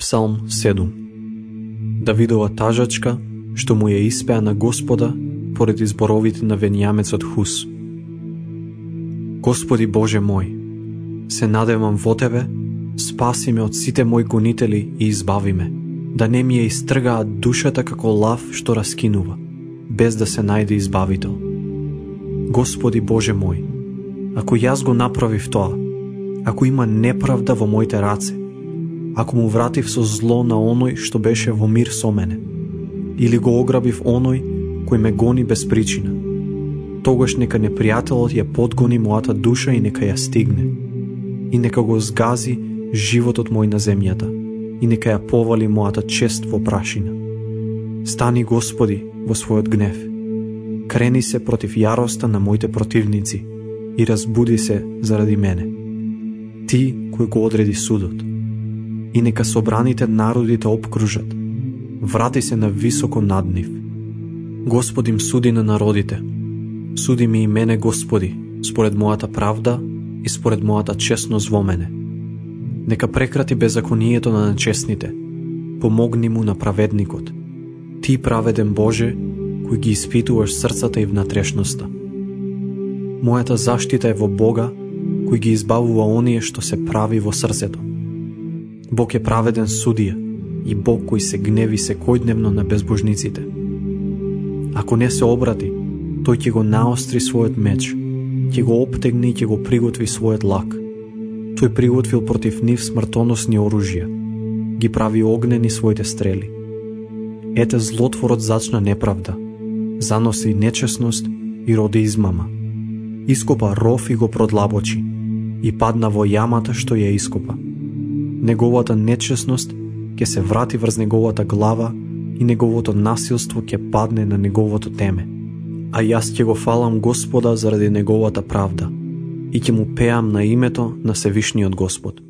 Псалм 7. Давидова тажачка, што му ја испеа на Господа поради зборовите на венијамецот Хус. Господи Боже мој, се надевам во Тебе, спаси ме од сите мои гонители и избави ме, да не ми ја истргаат душата како лав што раскинува, без да се најде избавител. Господи Боже мој, ако јас го направив тоа, ако има неправда во моите раце, ако му вратив со зло на оној што беше во мир со мене, или го ограбив оној кој ме гони без причина, тогаш нека непријателот ја подгони мојата душа и нека ја стигне, и нека го згази животот мој на земјата, и нека ја повали мојата чест во прашина. Стани, Господи, во својот гнев, крени се против јароста на моите противници и разбуди се заради мене. Ти кој го одреди судот, и нека собраните народите обкружат, врати се на високо над нив. Господи им суди на народите, суди ми и мене, Господи, според мојата правда и според мојата честност во мене. Нека прекрати беззаконието на нечестните, помогни му на праведникот. Ти, праведен Боже, кој ги испитуваш срцата и внатрешноста. Мојата заштита е во Бога, кој ги избавува оние што се прави во срцето. Бог е праведен судија и Бог кој се гневи секојдневно на безбожниците. Ако не се обрати, тој ќе го наостри својот меч, ќе го оптегне и ќе го приготви својот лак. Тој приготвил против нив смртоносни оружја, ги прави огнени своите стрели. Ете, злотворот зачна неправда, заноси нечесност и роди измама. Ископа ров и го продлабочи, и падна во јамата што ја ископа. Неговата нечесност ќе се врати врз неговата глава и неговото насилство ќе падне на неговото теме. А јас ќе го фалам Господа заради неговата правда и ќе му пеам на името на Севишниот Господ.